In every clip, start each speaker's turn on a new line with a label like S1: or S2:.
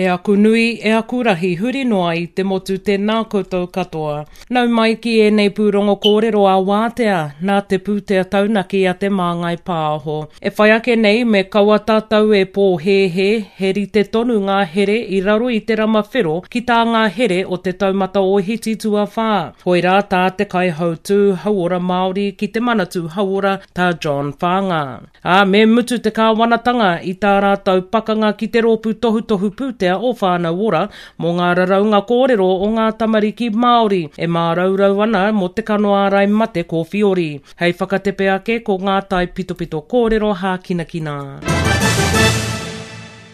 S1: E aku nui, e aku rahi, huri noa i te motu tēnā koutou katoa. Nau mai ki ēnei pūrongo kōrero a Wātea, nā te pūtea taunaki a Te Māngai Pāho. E whai ake nei me kaua tātou e pōhēhē, he rite tonu ngā here i raro i te rama whero ki tā ngā here o te taumata ōhiti tuawhā. Koirā tā te Kaihautū Hauora Māori ki te Manatū Hauora, tā John Whaanga. Ā, me mutu te kāwanatanga i tā rātou pakanga ki te Rōpū Tohutohu Pūtea o Whānau Ora mō ngā raraunga kōrero o ngā tamariki Māori e māraurau ana mō te kano ārai mate kōwhiori. Hei whakatepe ake ko ngā taipitopito kōrero hākinakina.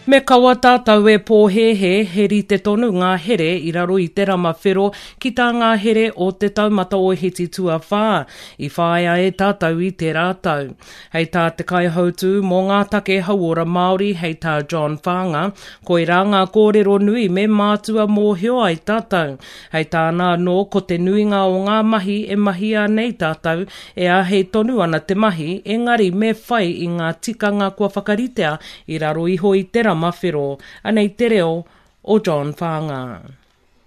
S1: Me kaua tātou e pōhēhē he rite tonu ngā here i raro i te rama whero ki tā ngā here o te taumata ōhiti tuawhā i whāia e tātou i tērā tau. Hei tā te kaihautū mō ngā take hauora Māori hei tā John Whaanga, koirā ngā kōrero nui me mātua mōhio ai tātou. Hei tāna anō ko te nuinga o ngā mahi e mahia nei tātou e āhei tonu ana te mahi engari me whai i ngā tikanga kua whakaritea i raro iho i te rama whero. Anei te reo o John Whaanga.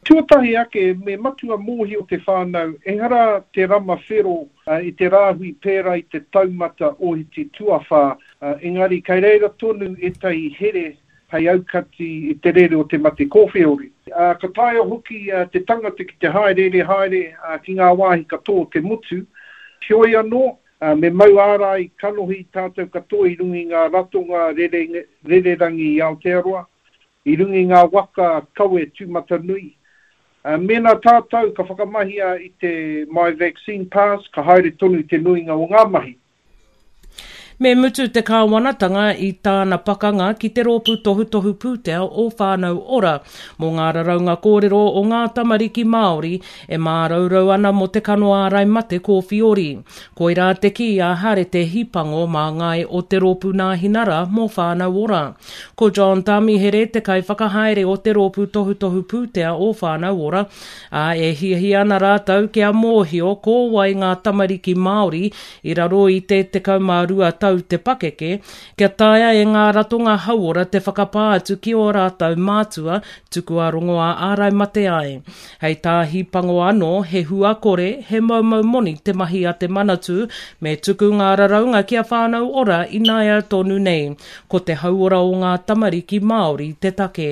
S2: Tuatahi ake, me matua mōhio te whānau, ehara te rama whero i te rāhui pērā i te taumata ōhiti tuawhā, engari kei reira tonu ētahi here hei aukati i te rere o te mate kōwheori. Ka taea hoki te tangata ki te hāereere haere ki ngā wāhi katoa o te motu. Heoi anō, Me mau ārai kanohi tātou katoa i runga i ngā ratonga rererangi i Aotearoa, i runga i ngā waka kawe tūmatanui. Mēnā tātou ka whakamahia i te My Vaccine Pass, ka haere tonu te nuinga o ngā mahi.
S1: Me mutu te kāwanatanga i tāna pakanga ki te Rōpū Tohutohu Pūtea o Whānau Ora mō ngā raraunga kōrero o ngā tamariki Māori e māraurau ana mō te kano ārai mate kōwhiori. Koirā te kī a Harete Hipango māngai o te Rōpū Nāhinara mō Whānau Ora. Ko John Tamihere te kaiwhakahaere o te Rōpū Tohutohu Pūtea o Whānau Ora, ā, e hiahia ana rātou kia mōhio ko wai ngā tamariki Māori i raro i te 12 tau te pakeke, kia taea e ngā ratonga hauora te whakapā atu ki ō rātou mātua tukua rongoā ārai mate ai. Hei tā Hīpango anō, he hua kore, he moumou moni te mahi a te Manatū, me tuku ngā raraunga ki a Whānau Ora ināia tonu nei. Ko te hauora o ngā tamariki Māori te take.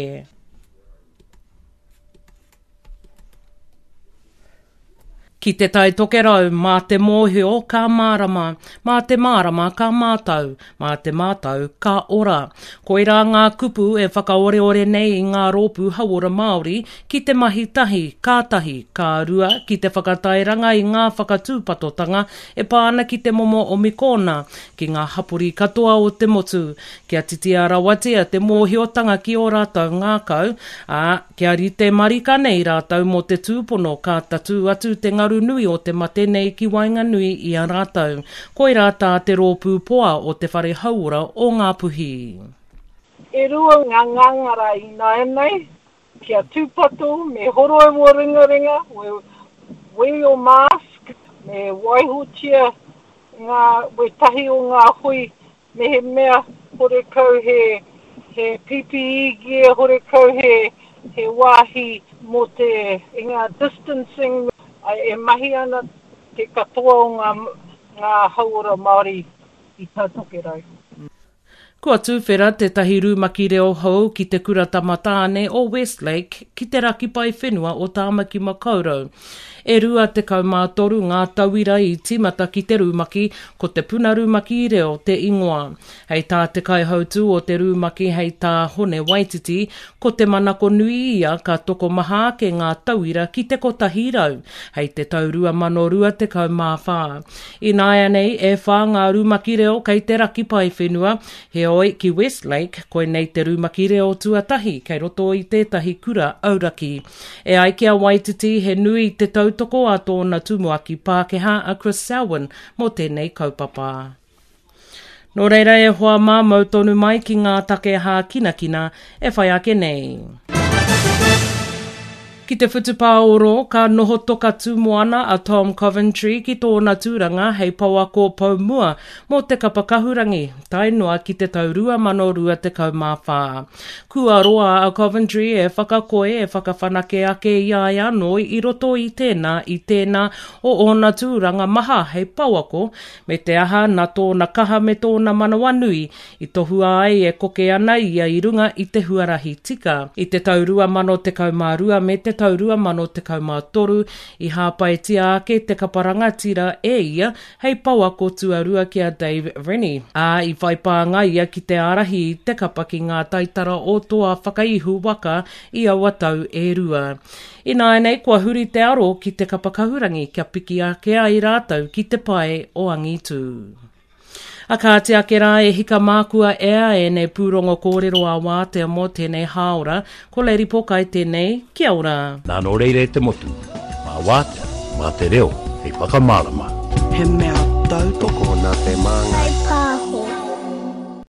S1: Ki Te Tai Tokerau, mā te mōhio ka mārama, mā te mārama ka mātau, mā te mātau ka ora. Koirā ngā kupu e whakaoreore nei i ngā rōpū hauora Māori ki te mahi tahi, ka tahi, ka rua, ki te whakatairanga i ngā whakatūpatotanga e pā ana ki te momo omikōna ki ngā hapori katoa o te motu, kia titia rawatia te mōhiotanga ki ō rātou ngākau, ā, Kia rite marika nei rātou mō te tūpono ka tatū atu te ngaru nui o te mate nei ki waenganui i a rātou. Koirā tā te rōpū poa o Te Whare Hauora o Ngāpuhi.
S3: E rua ngā ngāngara ināianei, kia tūpato, me horoi wō ringaringa, wear your mask, me waihotia ngā, wētahi o ngā hui Mehemea horekau he he PPE gear, horekau he he wāhi mō te i ngā distancing e mahi ana te katoa o ngā ngā hauora Māori i Tā Tokerau.
S1: Kua tuwhera tētahi rumaki reo hou ki Te Kura Tama Tāne o Westlake ki te raki paewhenua o Tāmaki Makaurau. E 23 ngā tauira i tīmata ki te rumaki, ko Te Puna Rumaki Reo te ingoa. Hei tā te kaihautū o te rumaki hei tā Hone Waititi, ko te manako nui ia ka tokomaha ake ngā tauira ki te 100 hei te tau 2024. Ināianei, e whā ngā rumaki reo kei te raki paewhenua, heoi, ki Westlake, koinei te rumaki reo tuatahi kei roto i tētahi kura auraki. E ai ki a Waititi, he nui te tautoko a tōna tumuaki Pākehā a Chris Selwyn mō tēnei kaupapa. Nō reira e hoa mā, mau tonu mai ki ngā take hākinakina e whai ake nei. Ki te whutupāoro, ka noho toka tūmoana a Tom Coventry ki tōna tūranga hei pouako pou mua mō te kapa kahurangi, tae noa ki te tau 2024. Kua roa a Coventry e whakakoi, e whakawhanake ake i a ia anō i roto i tēnā, i tēnā o ōna tūranga maha hei pouako, me te aha nā tōna kaha me tōna manawanui i tohua ai e koke ana ia i runga i te huarahi tika. I te tau 2012 me te tau 2013 i hāpaitia ake te kapa rangatira e ia hei pouako tuarua ki a Dave Rennie, ā, i whai pānga ia ki te ārahi i te kapa ki ngā taitara o Toa Whakaihu Waka i aua tau e rua. Ināianei kua huri te aro ki te kapa kahurangi kia piki ake ai rātou ki te pae o angitū. A kāti ake rā e hika mākua ea ēnei pūrongo kōrero a Wātea mō tēnei hāora, ko Lady Pokai tēnei, kia ora.
S4: Nā nō reira e te motu, mā Wātea, mā te reo hei whakamārama.
S5: He mea tautoko nā te Māngai.